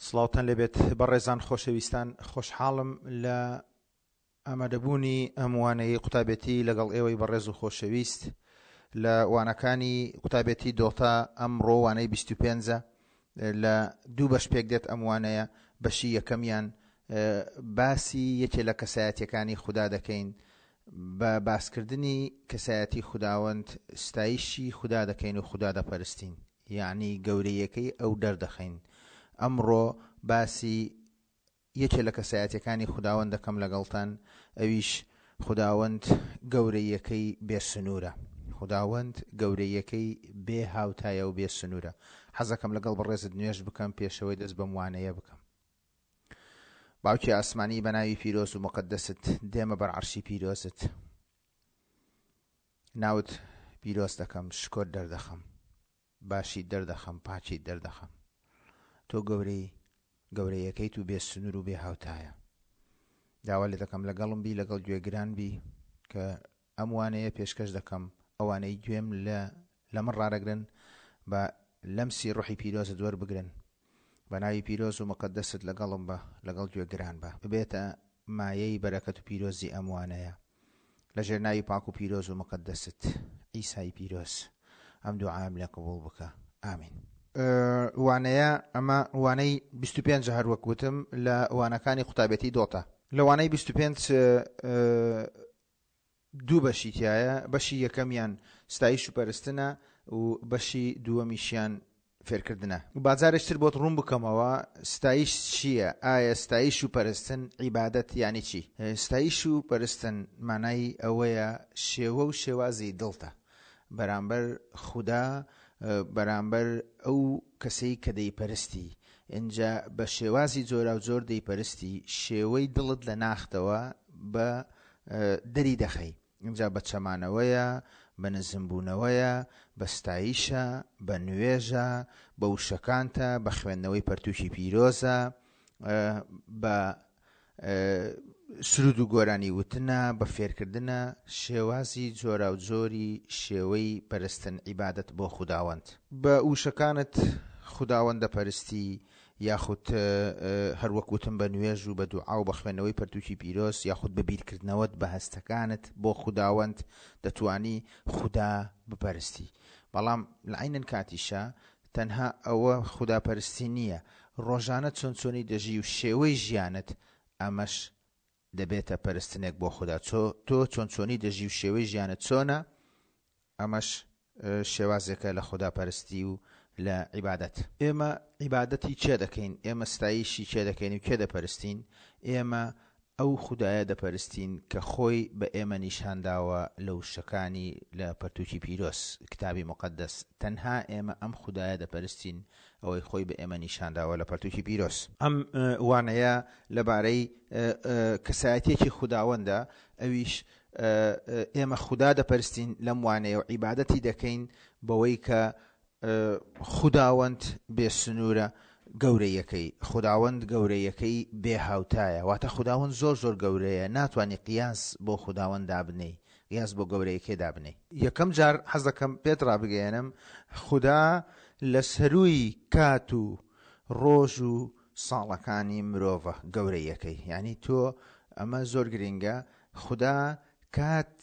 سڵاوتان لێبێت بەڕێزان خۆشەویستان خۆشحاڵم لە ئامادەبوونی ئەم وانەیەی قوتابێتی لەگەڵ ئێوەی بەڕێز و خۆشەویست لە وانەکانی قوتابێتی دۆتا ئەمڕۆ وانەی 25 لە دوو بەش پێک دێت ئەم وانەیە بەشی یەکەمیان باسی یەکێ لە کەسایەتیەکانی خودا دەکەین بە باسکردنی کەسایەتی خوداوەند ستایشی خودا دەکەین و خودا دەپەرستین یەعنی گەورەیەکەی ئەو دەردەخەین ئەمڕۆ باسی یەکێ لە کەسایەتیەکانی خوداوەند دەکەم لەگەڵتان ئەویش خوداوەند گەورەیەکەی بێ سنوورە خوداوەند گەورەیەکەی بێ هاوتایە و بێ سنوورە حەزەکەم لەگەڵ بەڕێزت نوێژ بکەم پێشەوەی دەست بەم وانەیە بکەم باوکی ئاسمانی بە ناوی پیرۆز و مقدست دێمە بەر عەرشی پیرۆزت ناوت پیرۆز دەکەم شکۆت دەردەخەم باشیت دەردەخەم پاکیت دەردەخەم تۆ گەورەی گەورەیەکەیت و بێ سنوور و بێ هاوتایە داوا لێ دەکەم لەگەڵم بی لەگەڵ گوێگران بی کە ئەم وانەیە پێشکەش دەکەم ئەوانەی گوێم لە لە من ڕادەگرن بە لەمسی ڕۆحی پیرۆزت وەربگرن بە ناوی پیرۆز و مقەدەست لەگەڵم بە لەگەڵ گوێگران بە ببێتە مایەی بەرەکەت و پیرۆزی ئەم وانەیە لە ژێر ناوی پاک و پیرۆز و مقەدەست عیسای پیرۆز ئەم دوعایەم لێ قبوڵ بکە ئامین. وانەیە ئەمە وانەی 25 هەر وەک وتم لە وانەکانی قوتابێتی دۆتە لە وانەی 25 دوو بەشی تیایە بەشی یەکەمیان ستایش و پەرستنە و بەشی دووەمیشیان فێرکردنە. با جارێکی تر بۆت ڕوون بکەمەوە ستایش چییە، ئایا ستایش و پەرستن، عیبادەت، یانی چی؟ ستایش و پەرستن مانای ئەوەیە شێوە و شێوازی دڵتە بەرامبەر خودا، بەرامبەر ئەو کەسەی کە دەیپەرستی، ئینجا بە شێوازی جۆراوجۆر دەیپەرستی، شێوەی دڵت لە ناختەوە بە دەری دەخەی. ئینجا بە چەمانەوەیە، بە نزمبوونەوەیە، بە ستایشە، بە نوێژە، بە وشەکانتە، بە خوێندنەوەی پەرتووکی پیرۆزە، بە سرود و گۆرانی وتنە، بە فێرکردنە، شێوازی جۆراوجۆری شێوەی پەرستن عیبادەت بۆ خوداوەند. بە وشەکانت خوداوەند دەپەرستی، یاخود هەر وەک وتم بە نوێژ و بە دوعا و بە خوێندنەوەی پەرتووکی پیرۆز یاخود بە بیرکردنەوەت بە هەستەکانت بۆ خوداوەند دەتوانی خودا بپەرستی بەڵام لە عەینەن کاتیشا تەنها ئەوە خودا پەرستی نییە ڕۆژانە چۆن چۆنی دەژی و شێوەی ژیانت ئەمەش دەبێتە پەرستنێک بۆ خودا چۆ تۆ چۆن چۆنی دەژی و شێوەی ژیانت چۆنە ئەمەش شێوازێکە لە خودا پەرستی و لە عیبادەت. ئێمە عیبادەتی کێ دەکەین؟ ئێمە ستایشی کێ دەکەین و کێ دەپەرستین؟ ئێمە ئەو خودایە دەپەرستین کە خۆی بە ئێمە نیشان داوە لە وشەکانی لە پەرتووکی پیرۆز، کتابی موقەدەس، تەنها ئێمە ئەم خودایە دەپەرستین ئەوەی خۆی بە ئێمە نیشان داوە لە پەرتووکی پیرۆز. ئەم وانەیە لەبارەی کەسایەتیەکی خوداوەندە ئەویش ئێمە خودا دەپەرستین لەم وانەیە و عیبادەتی دەکەین بەوەی کە خوداوەند بێ سنوورە گەورەیەکەی خوداوەند گەورەیەکەی بێ هاوتایە واتە خوداوەند زۆر زۆر گەورەیە ناتوانانی قیاس بۆ خوداوەند دابنێی قیاس بۆ گەورەیەکەی دابنێی. یەکەم جار حەز دەکەم پێت ڕابگەیەنم خودا لە سەرووی کات و ڕۆژ و ساڵەکانی مرۆڤە گەورەیەکەی یانی تۆ ئەمە زۆر گرینگە خودا کات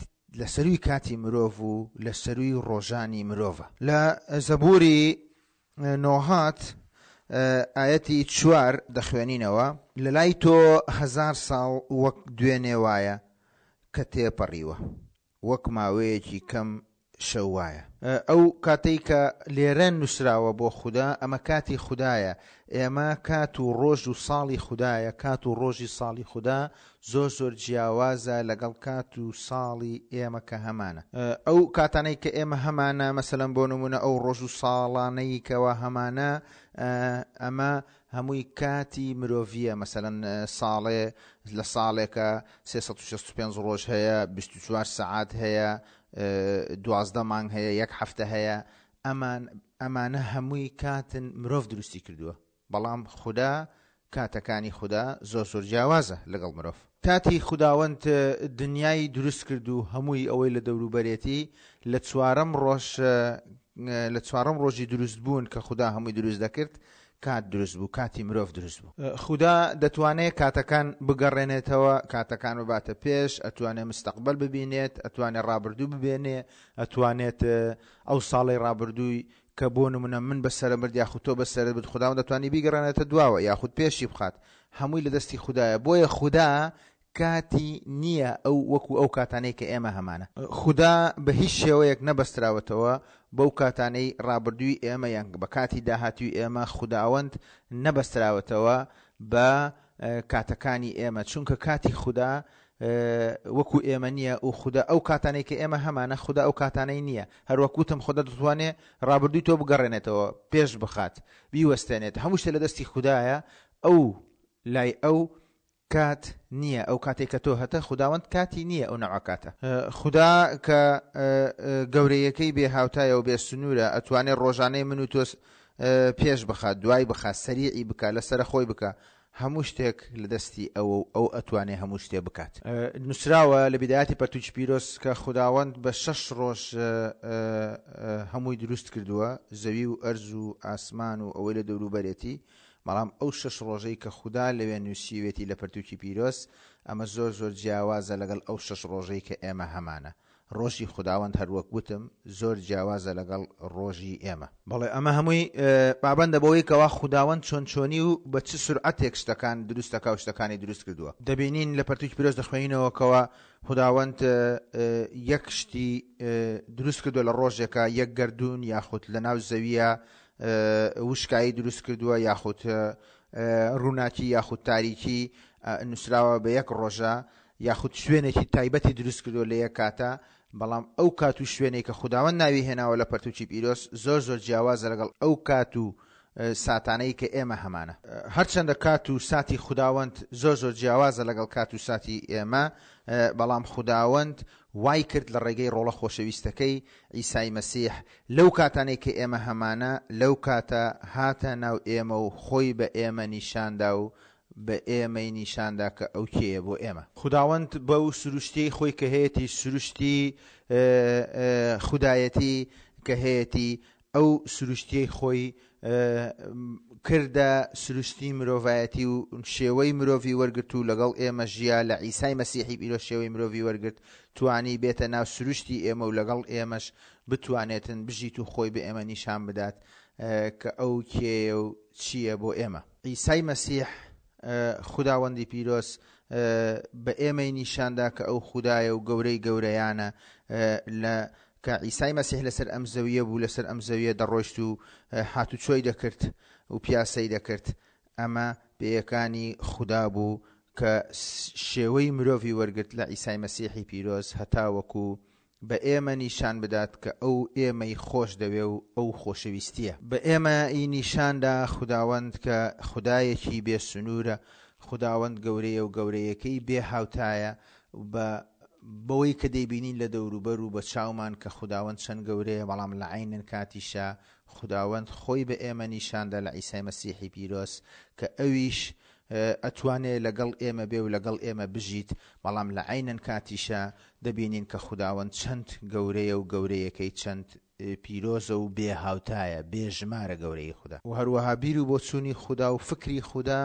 لە سەرووی کاتی مرۆڤ و لە سەرووی ڕۆژانی مرۆڤە. لە زەبووری نۆهات ئایەتی چوار دەخوێنینەوە. لە لای تۆ هەزار ساڵ وەک دوێنێ وایە کە تێپەڕیوە، وەک ماوەیەکی کەم شەو وایە. ئەو کاتەی کە لێرە نووسراوە بۆ خودا، ئەمە کاتی خودایە. ئێمە کات و ڕۆژ و ساڵی خودایە، کات و ڕۆژی ساڵی خودا زۆر زۆر جیاوازە لەگەڵ کات و ساڵی ئێمە کە هەمانە. ئەو کاتانەی کە ئێمە هەمانە، مەسەلەن بۆ نموونە ئەو ڕۆژ و ساڵانەی کەوا هەمانە، ئەمە هەمووی کاتی مرۆڤییە، مەسەلەن ساڵێ لە ساڵێکە 365 ڕۆژ هەیە، 24 سەعات هەیە، 12 مانگ هەیە، یەک هەفتە هەیە، ئەمان ئەمانە هەمووی کاتن مرۆڤ دروستی کردووە، بەڵام خودا کاتەکانی خودا زۆر زۆر جیاوازە لەگەڵ مرۆڤ. کاتی خوداوەند دنیای دروست کرد و هەمووی ئەوەی لە دەوروبەرێتی لە چوارەم ڕۆژ لە چوارەم ڕۆژی دروست بوون کە خودا هەمووی دروست دەکرد. کات دروست بوو، کاتی مرۆڤ دروست بوو. خودا دەتوانێ کاتەکان بگەڕێنێتەوە، کاتەکان بباتە پێش، ئەتوانێ مستەقبەل ببینێت، ئەتوانێ ڕابردوو ببێنێ، ئەتوانێت ئەو ساڵەی ڕابردووی کە بۆ نمونە من بەسەرم برد یاخود تۆ بەسەرت برد خوداوەند دەتوانی بیگەڕێنێتە دواوە یاخود پێشی بخات هەمووی لە دەستی خودایە بۆیە خودا کاتی نییە ئەو وەکو ئەو کاتانەی کە ئێمە هەمانە. خودا بە هیچ شێوەیەک نەبەستراوەتەوە بەو کاتانەی ڕابردووی ئێمە یان بە کاتی داهاتووی ئێمە خوداوەند نەبەستراوەتەوە بە کاتەکانی ئێمە چونکە کاتی خودا وەکو ئێمە نییە و خودا ئەو کاتانەی کە ئێمە هەمانە خودا ئەو کاتانەی نییە هەروەک وتم خودا دەتوانێ ڕابردووی تۆ بگەڕێنێتەوە پێش بخات بیوەستێنێت هەموو شتێ لە دەستی خودایە ئەو لای ئەو کات نییە ئەو کاتێک کە تۆ هەتە خوداوەند کاتی نییە ئەو نەوعە کاتە. خودا کە گەورەیەکەی بێ هاوتایە و بێ سنوورە ئەتوانێ ڕۆژانەی من و تۆ پێش بخات دوای بخات سەریعی بکا لەسەرە خۆی بکا هەموو شتێک لە دەستی ئەوە و ئەو ئەتوانێ هەموو شتێ بکات. نووسراوە لە بیدایەتی پەرتووکی پیرۆز کە خوداوەند بە شەش ڕۆژ هەمووی دروست کردووە، زەوی و ئەرز و ئاسمان و ئەوەی لە دەوروبەرێتی، بەڵام ئەو شەش ڕۆژەی کە خودا لەوێ نووسیوێتی لە پەرتووکی پیرۆز، ئەمە زۆر زۆر جیاوازە لەگەڵ ئەو شەش ڕۆژەی کە ئێمە هەمانە. ڕۆژی خوداوەند هەروەک وتم زۆر جیاوازە لەگەڵ ڕۆژی ئێمە. بەڵێ ئەمە هەمووی پابەندە بەوەی کەوا خوداوەند چۆن چۆنی و بە چ سورعەتێک شتەکان دروست دەکا و شتەکانی دروست کردووە. دەبینین لە پەرتوکی پیرۆز دەخوێنینەوە کەوا خوداوەند یەک شتی دروست کردووە لە ڕۆژێکا، یەک گەردوون یاخود لەناو زەویە وشکایی دروست کردووە یاخود ڕووناکی یاخود تاریکی نووسراوە بە یەک ڕۆژە یاخود شوێنێکی تایبەتی دروست کردووە لە یەک کاتە، بەڵام ئەو کات و شوێنەی کە خوداوەند ناوی هێناوە لە پەرتوکی پیرۆز زۆر زۆر جیاوازە لەگەڵ ئەو کات و ساتانەی کە ئێمە هەمانە. هەرچەندە کات و ساتی خوداوەند زۆر زۆر جیاوازە لەگەڵ کات و ساتی ئێمە، بەڵام خوداوەند وای کرد لە ڕێگەی ڕۆڵە خۆشەویستەکەی عیسای مەسیح لەو کاتانەی کە ئێمە هەمانە لەو کاتە هاتە ناو ئێمە و خۆی بە ئێمە نیشاندا و بە ئێمەی نیشاندا کە ئەو کێیە بۆ ئێمە. خوداوەند بەو سروشتیەی خۆی کە هەیەتی، سروشتی خودایەتی کە هەیەتی، ئەو سروشتیەی خۆی کردە سروشتی مرۆڤایەتی و شێوەی مرۆڤی وەرگرت و لەگەڵ ئێمە ژیا، لە عیسای مەسیحی پیرۆز شێوەی مرۆڤی وەرگرت، توانی بێتە ناو سروشتی ئێمە و لەگەڵ ئێمەش بتوانێتن بژیت و خۆی بە ئێمە نیشان بدات کە ئەو کێیە و چییە بۆ ئێمە. عیسای مەسیح خوداوەندی پیرۆز بە ئێمەی نیشاندا کە ئەو خودایە و گەورەی گەورەیانە لە کە عیسای مەسیح لەسەر ئەم زەویە بوو لەسەر ئەم زەویە دەڕۆیشت و هاتوچۆی دەکرد و پیاسەی دەکرد ئەمە پێیەکانی خودا بوو کە شێوەی مرۆڤی وەرگرت لە عیسای مەسیحی پیرۆز هەتاوەکو بە ئێمە نیشان بدات کە ئەو ئێمەی خۆش دەوێ و ئەو خۆشەویستییە. بە ئێمە ی نیشان دا خوداوەند کە خودایەکی بێ سنوورە، خوداوەند گەورەیە و گەورەیەکەی بێ هاوتایە و بە بەوەی کە دەیبینین لە دەوروبەر و بە چاومان کە خوداوەند چەند گەورەیە بەڵام لە عەینن کاتیشا خوداوەند خۆی بە ئێمە نیشان دا لە عیسای مەسیحی پیرۆز کە ئەویش ئەتوانێ لەگەڵ ئێمە بێ و لەگەڵ ئێمە بژیت، بەڵام لە عەینەن کاتیشا دەبینین کە خوداوەند چەند گەورەیە و گەورەیەکەی چەند پیرۆزە و بێ هاوتایە، بێ ژمارە گەورەیی خودا. وە هەروەها بیر و بۆچوونی خودا و فکری خودا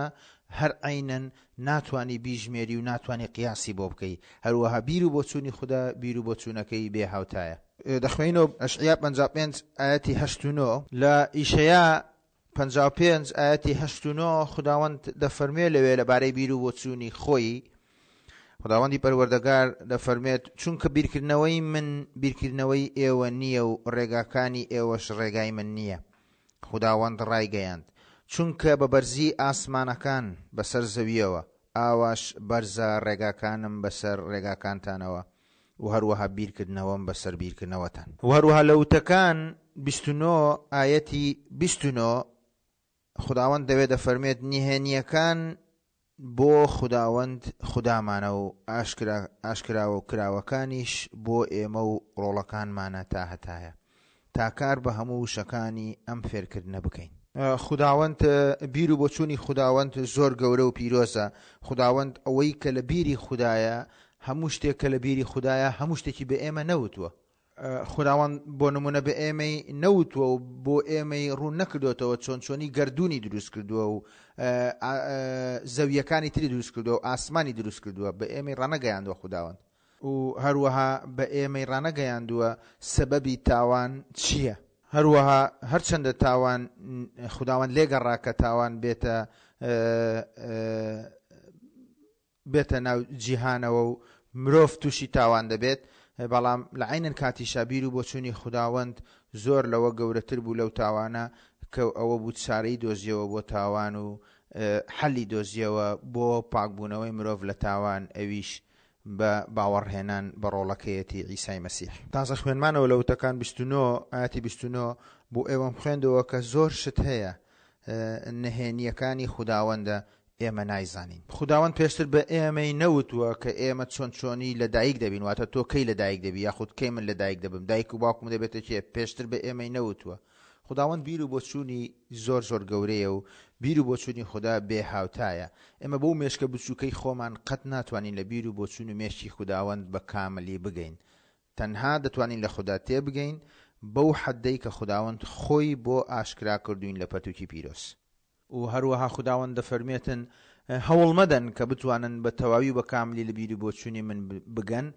هەر عەینەن ناتوانی بیژمێری و ناتوانی قیاسی بۆ بکەی، هەروەها بیر و بۆچوونی خودا بیر و بۆچوونەکەی بێ هاوتایە. دەخوێنینەوە ئەشعیا 55 ئایەتی هەشت و نۆ. لە ئیشەیا 55 ئایەتی هەشت و نۆ خوداوەند دەفەرموێ لەوێ لەبارەی بیر و بۆچوونی خۆی خوداوەندی پەروەردەگار دەفەرموێت چونکە بیرکردنەوەی من بیرکردنەوەی ئێوە نییە و ڕێگاکانی ئێوەش ڕێگای من نییە خوداوەند ڕایگەیاند چونکە بە بەرزی ئاسمانەکان بەسەر زەویەوە ئاواش بەرزە ڕێگاکانم بەسەر ڕێگاکانتانەوە و هەروەها بیرکردنەوەم بەسەر بیرکردنەوەتان. و هەروەها لە وتەکان 29 ئایەتی 29 خوداوەند دەوێ دەفەرموێت نهێنییەکان بۆ خوداوەند خودامانە و ئاشکرا ئاشکراوە و کراوەکانیش بۆ ئێمە و ڕۆڵەکانمانە تا هەتایە تا کار بە هەموو وشەکانی ئەم فێرکردنە بکەین. خوداوەند بیر و بۆچوونی خوداوەند زۆر گەورە و پیرۆزە خوداوەند ئەوەی کە لە بیری خودایە هەموو شتێک کە لە بیری خودایە هەموو شتێکی بە ئێمە نەوتووە. خوداوەند بۆ نمونە بە ئێمەی نەوتووە و بۆ ئێمەی ڕوون نەکردوێتەوە چۆن چۆنی گردردونی دروست کردووە و زەویەکانی تری دروست کردووە و ئاسمانی دروست کردووە بە ئێمەی ڕانەگەیاندوە خوداوەند و هەروەها بە ئێمەی ڕانەگەیاندووە سەبەبی تاوان چییە. هەروەها هەرچەندە تاوان خوداوەند لێگەڕا کە تاوان بێتە بێتە ناو جیهانەوە و مرۆڤ تووشی تاوان دەبێت، بەڵام لە عەینەن کاتیشا بیر و بۆچوونی خوداوەند زۆر لەوە گەورەتر بوو لەو تاوانە کە ئەوە بوو چارەی دۆزیەوە بۆ تاوان و حەلی دۆزیەوە بۆ پاکبوونەوەی مرۆڤ لە تاوان ئەویش بە باوەڕهێنان بە ڕۆڵەکەیەتی عیسای مەسیح. تازە خوێنمانەوە لە وتەکان 29 ئایەتی 29 بۆ ئێوەم خوێندەوە کە زۆر شت هەیە نهێنییەکانی خوداوەندە ئێمە نایزانین. خوداوەند پێشتر بە ئێمەی نەوتووە کە ئێمە چۆن چۆنی لە دایک دەبین، واتە تۆ کەی لە دایک دەبی یاخود کەی من لە دایک دەبم، دایک و باوکم دەبێتە کێ، پێشتر بە ئێمەی نەوتووە. خوداوەند بیر و بۆچوونی زۆر زۆر گەورەیە و بیر و بۆچوونی خودا بێ هاوتایە. ئێمە بەو مێشکە بچووکەی خۆمان قەت ناتوانین لە بیر و بۆچوون و مێشکی خوداوەند بە کاملی بگەین. تەنها دەتوانین لە خودا تێبگەین بەو حەدەی کە خوداوەند خۆی بۆ ئاشکرا کردووین لە پەرتووکی پیرۆز. و هەروەها خوداوەند دەفەرموێتن، هەوڵ مەدەن کە بتوانن بە تەواوی و بە کاملی لە بیر و بۆچوونی من بگەن،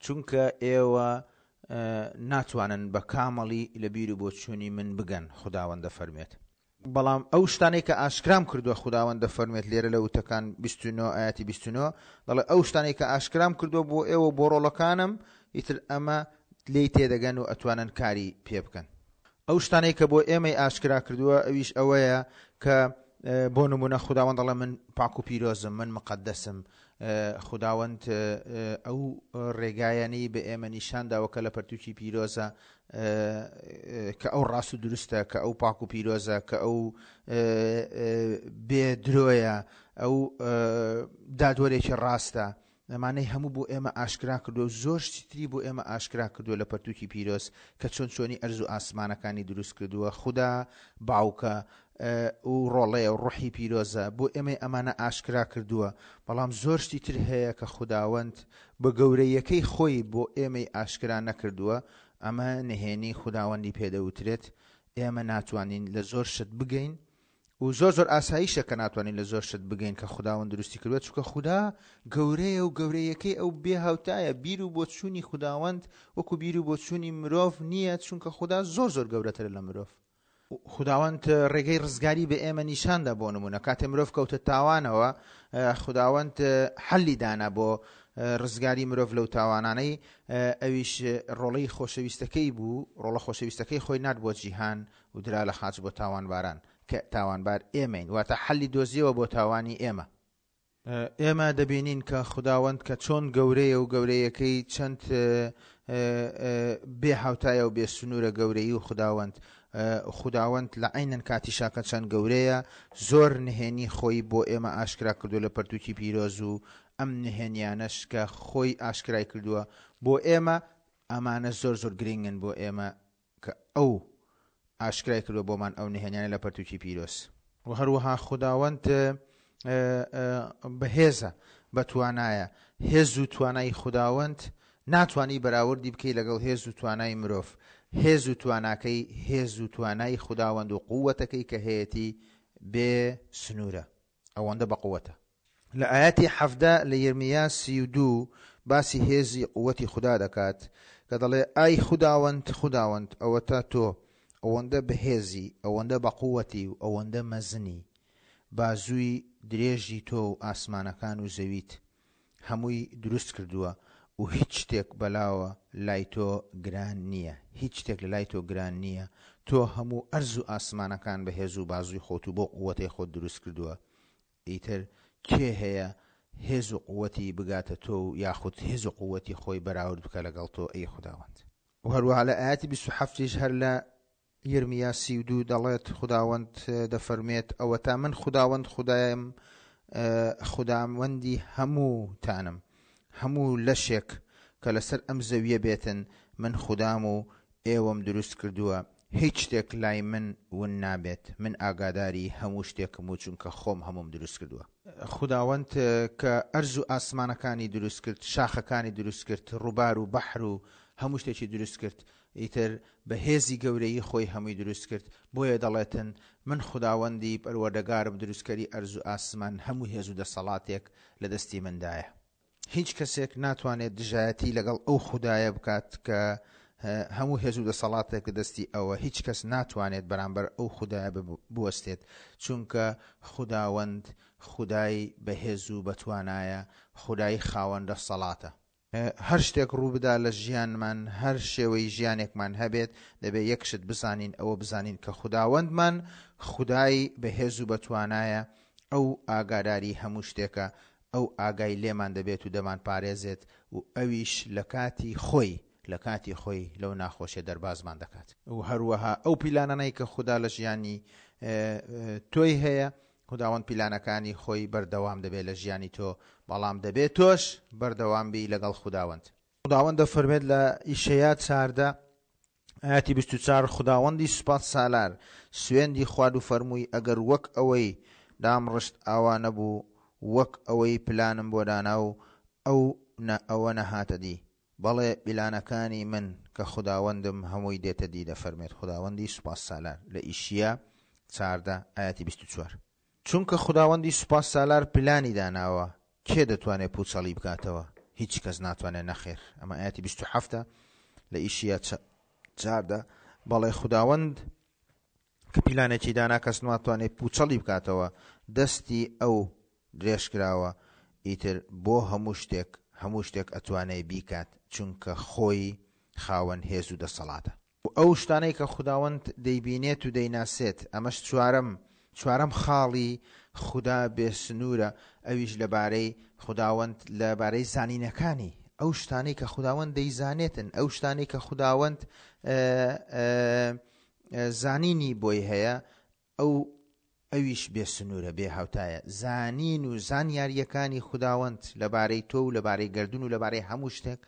چونکە ئێوە ناتوانن بە کامڵی لە بیر و بۆچوونی من بگەن، خوداوەند دەفەرموێت. بەڵام ئەو شتانەی کە ئاشکرام کردووە، خوداوەند دەفەرموێت لێرە لە وتەکان 29 ئایەتی 29 دەڵێ ئەو شتانەی کە ئاشکرام کردووە بۆ ئێوە بۆ ڕۆڵەکانم، ئیتر ئەمە لێی تێدەگەن و ئەتوانن کاری پێ بکەن. ئەو شتانەی کە بۆ ئێمەی ئاشکرا کردووە ئەویش ئەوەیە کە بۆ نمونە خوداوەند دەڵێ من پاک و پیرۆزم من مقدسم خوداوەند ئەو ڕێگایانەی بە ئێمە نیشان داوە کە لە پەرتوکی پیرۆزە کە ئەو ڕاست و دروستە کە ئەو پاک و پیرۆزە کە ئەو بێ درۆیە ئەو دادوەرێکی ڕاستە ئەمانەی هەموو بۆ ئێمە ئاشکرا کردووە و زۆر شتی تری بۆ ئێمە ئاشکرا کردووە لە پەرتووکی پیرۆز کە چۆن چۆنی ئەرز و ئاسمانەکانی دروست کردووە خودا باوکە و ڕۆڵەیە و ڕۆحی پیرۆزە بۆ ئێمەی ئەمانە ئاشکرا کردووە بەڵام زۆر شتی تر هەیە کە خوداوەند بە گەورەیەکەی خۆی بۆ ئێمەی ئاشکرا نەکردووە ئەمە نهێنی خوداوەندی پێدەوترێت ئێمە ناتوانین لە زۆر شت بگەین و زۆر زۆر ئاساییشە کە ناتوانین لە زۆر شت بگەین کە خوداوەند دروستی کردوە چونکە خودا گەورەیە و گەورەیەکەی ئەو بێ هاوتایە بیر و بۆچوونی خوداوەند وەکو بیر و بۆچوونی مرۆڤ نییە چونکە خودا زۆر زۆر گەورەترە لە مرۆڤ. خوداوەند ڕێگەی ڕزگاری بە ئێمە نیشاندا بۆ نمونە کاتێ مرۆڤ کەوتە تاوانەوە خوداوەند حەلی دانا بۆ ڕزگاری مرۆڤ لەو تاوانانەی ئەویش ڕۆڵەی خۆشەویستەکەی بوو ڕۆڵە خۆشەویستەکەی خۆی نارد بۆ جیهان و درا لە خاچ بۆ تاوانباران کە تاوانبار ئێمەین واتە حەلی دۆزیەوە بۆ تاوانی ئێمە. ئێمە دەبینین کە خوداوەند کە چۆن گەورەیە و گەورەیەکەی چەند بێ هاوتایە و بێ سنوورە گەورەیی و خوداوەند خوداوەند لە عەینەن کاتیشا کە چەند گەورەیە زۆر نهێنی خۆی بۆ ئێمە ئاشکرا کردو لە پەرتوکی پیرۆز و ئەم نهێنیانەش کە خۆی ئاشکرای کردووە بۆ ئێمە ئەمانە زۆر زۆر گرنگن بۆ ئێمە کە ئەو ئاشکرای کردوە بۆمان ئەو نهێنیانە لە پەرتوکی پیرۆز. وە هەروەها خوداوەند بەهێزە بەتوانایە، هێز و توانای خوداوەند ناتوانی بەراوردی بکەی لەگەڵ هێز و توانای مرۆڤ، هێز و تواناکەی هێز و توانای خوداوەند و قوەتەکەی کە هەیەتی بێ سنورە ئەوەندە بەقوەتە. لە ئایەتی 17 لە یرمیا 32 باسی هێزی قوەتی خودا دەکات کە دەڵێ ئای خوداوەند خوداوەند ئەوەتا تۆ ئەوەندە بەهێزی ئەوەندە بەقوەتی و ئەوەندە مەزنی بازووی درێژی تۆ و ئاسمانەکان و زەویت هەمووی دروست کردووە و هیچ شتێک بەلاوە لای تۆ گران نییە هیچ شتێک لە لای تۆ گران نییە تۆ هەموو ئەرز و ئاسمانەکان بە هێز و بازووی خۆت و بەو قوەتەی خۆت دروست کردووە ئیتر کێ هەیە هێز و قوەتی بگاتە تۆ و یاخود هێز و قوەتی خۆی بەراورد بکە لەگەڵ تۆ ئەی خوداوەند. وە هەروەها لە ئایەتی 27 یش هەر لە یرمیا 32 دەڵێت خوداوەند دەفەرموێت ئەوەتا من خوداوەند خودایم خوداوەندی هەمووتانم هەموو لەشێک کە لەسەر ئەم زەویە بێتن من خودام و ئێوەم دروست کردووە، هیچ شتێک لای من ون نابێت، من ئاگاداری هەموو شتێکم و چونکە خۆم هەمووم دروست کردووە. خوداوەند کە ئەرز و ئاسمانەکانی دروست کرد، شاخەکانی دروست کرد، ڕووبار و بەحر و هەموو شتێکی دروست کرد، ئیتر بە هێزی گەورەیی خۆی هەمووی دروست کرد، بۆیە دەڵێتن، من خوداوەندی پەروەردگارم دروستکەری ئەرز و ئاسمان هەموو هێز و دەسەڵاتێک لە دەستی مندایە. هیچ کەسێک ناتوانێت دژایەتی لەگەڵ ئەو خودایە بکات کە هەموو هێز و دەسەڵاتێک لە دەستی ئەوە، هیچ کەس ناتوانێت بەرامبەر ئەو خودایە بوەستێت، چونکە خوداوەند خودای بەهێز و بەتوانایە، خودای خاوەن دەسەڵاتە. هەر شتێک ڕووبدا لە ژیانمان، هەر شێوەی ژیانێکمان هەبێت، دەبێت یەک شت بزانین، ئەوە بزانین کە خوداوەندمان خودای بەهێز و بەتوانایە، ئەو ئاگاداری هەموو شتێکە، ئەو ئاگای لێمان دەبێت و دەمانپارێزێت و ئەویش لە کاتی خۆی لە کاتی خۆی لەو ناخۆشیە دەربازمان دەکات. و هەروەها ئەو پیلانانەی کە خودا لە ژیانی تۆی هەیە، خوداوەند پیلانەکانی خۆی بەردەوام دەبێت لە ژیانی تۆ، بەڵام دەبێت تۆش بەردەوام بی لەگەڵ خوداوەند. خوداوەند دەفەرمێت لە ئیشەیا 14 ئایەتی 24، خوداوەندی سوپاس سالار سوێندی خوارد و فەرمووی ئەگەر وەک ئەوەی دامڕشت ئاوا نەبوو، وەک ئەوەی پلانم بۆ دانا و ئەو نە ئەوە نەهاتە دی، بەڵێ پیلانەکانی من کە خوداوەندم هەمووی دێتە دی دەفەرمێت خوداوەندی سوپاسسالار لە ئیشیا 14 ئایەتی 24. چونکە خوداوەندی سوپاسسالار پلانی داناوە کێ دەتوانێت پوچەڵی بکاتەوە؟ هیچ کەس ناتوانێت نەخێر. ئەمە ئایەتی 27 لە ئیشیا 14. بەڵێ خوداوەند کە پیلانێکی دانا کەس ناتوانێت پوچەڵی بکاتەوە دەستی ئەو درێژکراوە ئیتر بۆ هەموو شتێک هەموو شتێک ئەتوانێ بیکات چونکە خۆی خاوەن هێز و دەسەڵاتە. و ئەو شتانەی کە خوداوەند دەیبینێت و دەیناسێت ئەمەش چوارەم چوارەم خاڵی خودا بێ سنوورە ئەویش لەبارەی خوداوەند لەبارەی زانینەکانی ئەو شتانەی کە خوداوەند دەیزانێتن ئەو شتانەی کە خوداوەند زانینی بۆی هەیە ئەو ئەویش بێ سنوورە، بێ هاوتایە. زانین و زانیارییەکانی خوداوەند لەبارەی تۆ و لەبارەی گەردوون و لەبارەی هەموو شتێک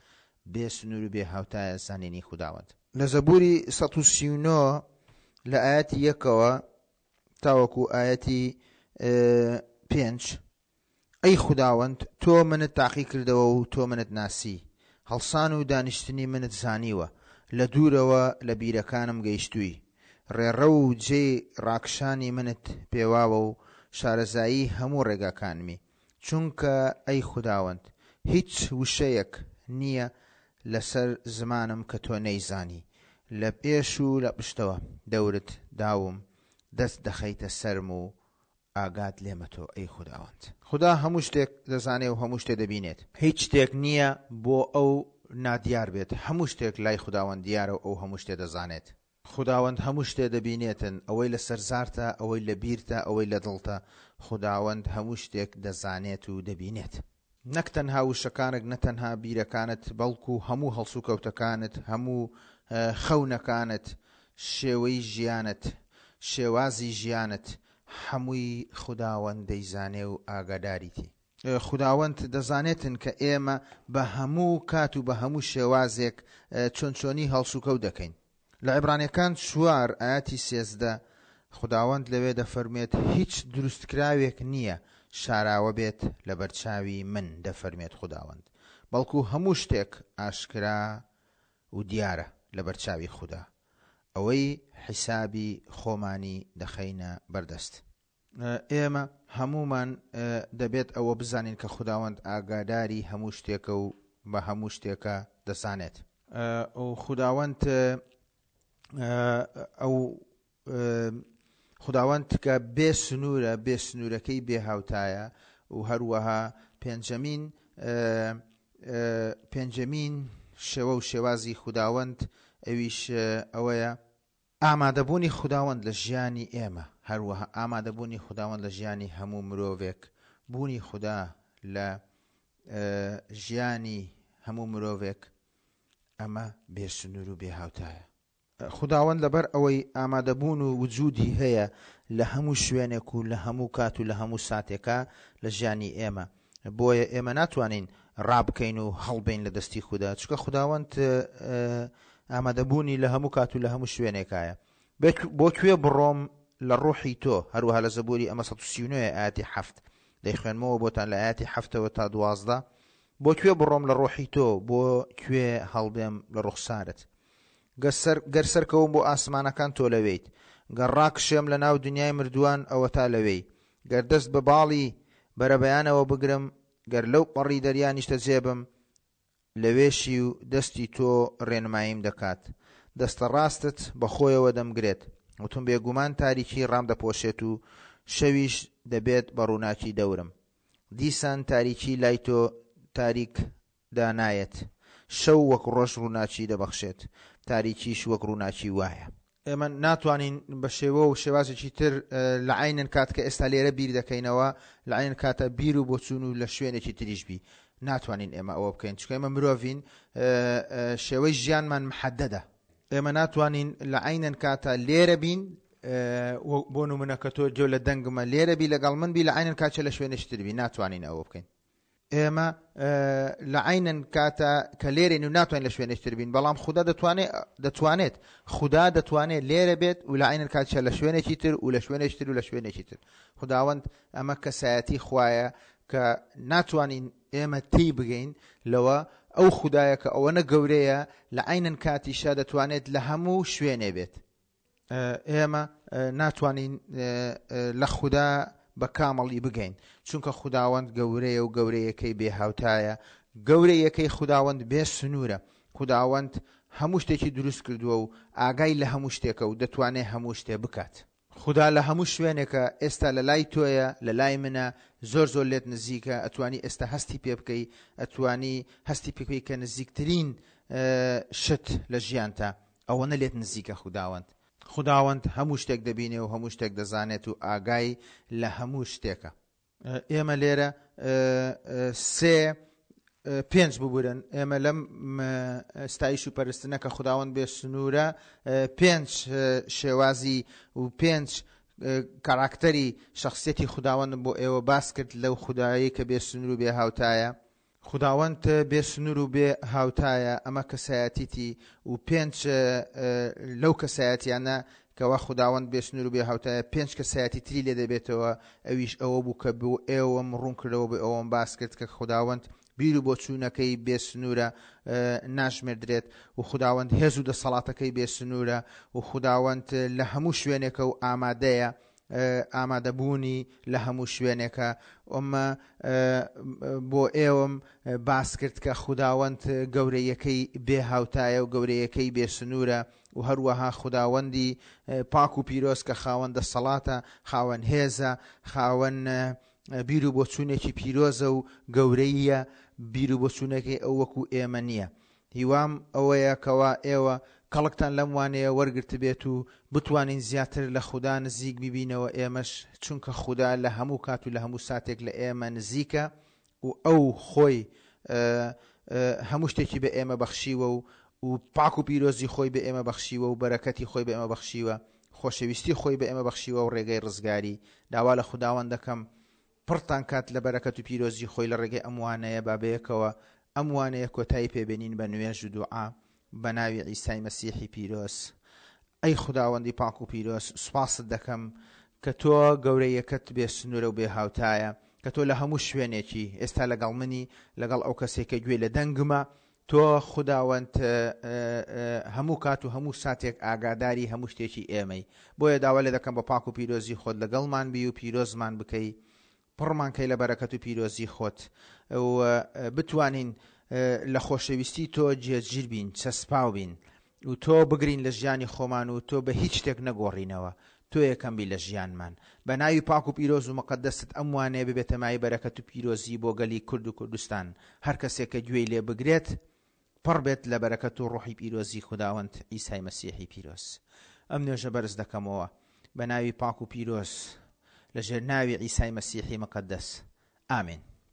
بێ سنوور و بێ هاوتایە زانینی خوداوەند. لە زەبووری 139 لە ئایەتی یەکەوە تاوەکو ئایەتی پێنج ئەی خوداوەند، تۆ منت تاقی کردەوە و تۆ منت ناسی، هەڵسان و دانیشتنی منت زانیوە، لە دوورەوە لە بیرەکانم گەیشتووی. ڕێڕەو و جێی ڕاکشانی منت پێواوە و شارەزایی هەموو ڕێگاکانمی. چونکە ئەی خوداوەند، هیچ وشەیەک نییە لەسەر زمانم کە تۆ نەیزانی. لە پێش و لە پشتەوە دەورت داوم، دەست دەخەیتە سەرم و ئاگات لێمە تۆ ئەی خوداوەند. خودا هەموو شتێک دەزانێ و هەموو شتێ دەبینێت. هیچ شتێک نییە بۆ ئەو نادیار بێت، هەموو شتێک لای خوداوەند دیارە و ئەو هەموو شتێ دەزانێت. خوداوەند هەموو شتێ دەبینێتن، ئەوەی لە سەر زارتە، ئەوەی لە بیرتە، ئەوەی لە دڵتە، خوداوەند هەموو شتێک دەزانێت و دەبینێت. نەک تەنها وشەکانت، نە تەنها بیرەکانت، بەڵکو هەموو هەڵسوکەوتەکانت، هەموو خەونەکانت، شێوەی ژیانت، شێوازی ژیانت، هەمووی خوداوەند دەیزانێ و ئاگاداریتی. خوداوەند دەزانێتن کە ئێمە بە هەموو کات و بە هەموو شێوازێک چۆن چۆنی هەڵسوکەوت دەکەین. لە عیبرانیەکان چوار ئایەتی 13 خوداوەند لەوێ دەفەرموێت هیچ دروستکراوێک نییە شاراوە بێت لەبەرچاوی من دەفەرموێت خوداوەند بەڵکو هەموو شتێک ئاشکرا و دیارە لەبەرچاوی خودا ئەوەی حیسابی خۆمانی دەخەینە بەردەست. ئێمە هەموومان دەبێت ئەوە بزانین کە خوداوەند ئاگاداری هەموو شتێکە و بە هەموو شتێکە دەزانێت. خوداوەند ئەو خوداوەند کە بێ سنوورە، بێ سنوورەکەی بێ هاوتایە و هەروەها پێنجەمین پێنجەمین شێوە و شێوازی خوداوەند ئەویش ئەوەیە ئامادەبوونی خوداوەند لە ژیانی ئێمە، هەروەها ئامادەبوونی خوداوەند لە ژیانی هەموو مرۆڤێک، بوونی خودا لە ژیانی هەموو مرۆڤێک، ئەمە بێ سنوور و بێ هاوتایە. خوداوەند لەبەر ئەوەی ئامادەبوون و وجودی هەیە لە هەموو شوێنێک و لە هەموو کات و لە هەموو ساتێکا لە ژیانی ئێمە، بۆیە ئێمە ناتوانین ڕابکەین و هەڵبێین لە دەستی خودا چونکە خوداوەند ئامادەبوونی لە هەموو کات و لە هەموو شوێنێکایە بۆ کوێ بڕۆم لە ڕۆحی تۆ هەروەها لە زەبوری ئەمە 139 ئاەتی حەفت دەیخوێنمەوە بۆتان لە ئاەتی حەفتەوە تا 12. بۆ کوێ بڕۆم لە ڕۆحی تۆ، بۆ کوێ هەڵبێم لە ڕوخسارت؟ گەر سەرکەوم بۆ ئاسمانەکان تۆ لەوێیت، گەر ڕاکشێم لە ناو دنیای مردووان ئەوەتا لەوێی، گەر دەست بە باڵی بەرەبەیانەوە بگرم، گەر لەو پەڕی دەریا نیشتەجێ بم، لەوێشی و دەستی تۆ ڕێنماییم دەکات. دەستە ڕاستت بە خۆیەوە دەمگرێت. وتم بێگومان تاریکی ڕامدەپۆشێت و شەویش دەبێت بە ڕووناکی دەورم. دیسان تاریکی لای تۆ تاریک دانایەت. شەو وەک ڕۆژ ڕووناکی دەبەخشێت، تاریکیش وەک ڕووناکی وایە. ئێمە ناتوانین بە شێوە و شێوازێکی تر لە عەینەن کات کە ئێستا لێرە بیر دەکەینەوە لە عەینەن کاتە بیر و بۆچوون و لە شوێنێکی تریش بی ناتوانین ئێمە ئەوە بکەین چونکە ئێمە مرۆڤین شێوەی ژیانمان محەدەدە ئێمە ناتوانین لە عەینەن کاتە لێرە بین بۆ نمونە کە تۆ جۆ لە دەنگمە لێرە بی لەگەڵ من بی لە عەینەن کاتە لە شوێنێکی تر بی ناتوانین ئەوە بکەین ئێمە لە عەینەن کاتە کە لێرەین و ناتوانین لە شوێنێکی تر بین بەڵام خودا دەتوانێت دەتوانێت خودا دەتوانێت لێرە بێت و لە عەینەن کاتیشە لە شوێنێکی تر و لە شوێنێکی تر و لە شوێنێکی تر خداوەند ئەمە کەسایەتی خوایە کە ناتوانین ئێمە تێی بگەین لەوە ئەو خودایە کە ئەوەنە گەورەیە لە عەینەن کاتیشە دەتوانێت لە هەموو شوێنێ بێت ئێمە ناتوانین لە خودا بە کامڵی بگەین چونکە خوداوەند گەورەیە و گەورەیەکەی بێ هاوتایە گەورەیەکەی خوداوەند بێ سنوورە خوداوەند هەموو شتێکی دروست کردووە و ئاگای لە هەموو شتێکە و دەتوانێت هەموو شتێ بکات. خودا لە هەموو شوێنێکە ئێستا لە لای تۆیە لە لای منە زۆر زۆر لێت نزیکە ئەتوانی ئێستا هەستی پێ بکەی ئەتوانی هەستی پێ بکەی کە نزیکترین شت لە ژیانتە ئەوەنە لێت نزیکە خوداوەند. خوداوەند هەموو شتێک دەبینێ و هەموو شتێک دەزانێت و ئاگای لە هەموو شتێکە. ئێمە لێرە سێ پێنج ببورن ئێمە لەم ستایش و پەرستنە کە خوداوەند بێ سنوورە پێنج شێوازی و پێنج کاراکتەری شخصیەتی خوداوەندم بۆ ئێوە باس کرد لەو خودایەی کە بێ سنوور و بێ هاوتایە. خوداوەند بێ سنوور و بێ هاوتایە، ئەمە کەسایەتیتی و پێنج لەو کەسایەتیانە کەوا خوداوەند بێ سنوور و بێ هاوتایە پێنج کەسایەتی تری لێ دەبێتەوە ئەویش ئەوە بوو کە بۆ ئێوەم ڕوون کردەوە بۆ ئێوەم باس کرد کە خوداوەند بیر و بۆچوونەکەی بێ سنوورە ناژمێردرێت و خوداوەند هێز و دەسەڵاتەکەی بێ سنوورە و خوداوەند لە هەموو شوێنێکە و ئامادەیە ئامادەبوونی لە هەموو شوێنێکە ئەمە بۆ ئێوەم باس کرد کە خوداوەند گەورەیەکەی بێ هاوتایە و گەورەیەکەی بێ سنوورە و هەروەها خوداوەندی پاک و پیرۆز کە خاوەن دەسەڵاتە خاوەن هێزە خاوەن بیر و بۆچوونێکی پیرۆزە و گەورەیە بیر و بۆچوونەکەی ئەو وەکو ئێمە نییە هیوام ئەوەیە کەوا ئێوە کەڵکتان لەم وانەیە وەرگرتبێت و بتوانین زیاتر لە خودا نزیک ببینەوە ئێمەش چونکە خودا لە هەموو کات و لە هەموو ساتێک لە ئێمە نزیکە و ئەو خۆی هەموو شتێکی بە ئێمە بەخشیوە و و پاک و پیرۆزی خۆی بە ئێمە بەخشیوە و بەرەکەتی خۆی بە ئێمە بەخشیوە خۆشەویستی خۆی بە ئێمە بەخشیوە و ڕێگەی ڕزگاری داوا لە خوداوەند دەکەم پڕتان کات لە بەرەکەت و پیرۆزی خۆی لە ڕێگەی ئەم وانەیە با بەیەکەوە ئەم وانەیە کۆتایی پێ بێنین بە نوێژ و دوعا بە ناوی عیسای مەسیحی پیرۆز ئەی خوداوەندی پاک و پیرۆز سوپاست دەکەم کە تۆ گەورەیەکەت بێ سنوورە و بێ هاوتایە کە تۆ لە هەموو شوێنێکی ئێستا لەگەڵ منی لەگەڵ ئەو کەسێک کە گوێی لە دەنگمە تۆ خوداوەند هەموو کات و هەموو ساتێک ئاگاداری هەموو شتێکی ئێمەی بۆیە داوا لێ دەکەم بە پاک و پیرۆزی خۆت لەگەڵمان بی و پیرۆزمان بکەی پڕمان کەی لە بەرەکەت و پیرۆزی خۆت و بتوانین لە خۆشەویستی تۆ جێگیر بین چەسپاو بین و تۆ بگرین لە ژیانی خۆمان و تۆ بە هیچ شتێک نەگۆڕینەوە تۆ یەکەم بی لە ژیانمان. بە ناوی پاک و پیرۆز و مقەدەست ئەم وانەیە ببێتە مایەی بەرەکەت و پیرۆزی بۆ گەلی کورد و کوردستان. هەر کەسێک کە گوێی لێ بگرێت پڕ بێت لە بەرەکەت و ڕۆحی پیرۆزی خوداوەند عیسای مەسیحی پیرۆز. ئەم نوێژە بەرز دەکەمەوە بە ناوی پاک و پیرۆز لە ژێر ناوی عیسای مەسیحی مقەدەس. ئامین.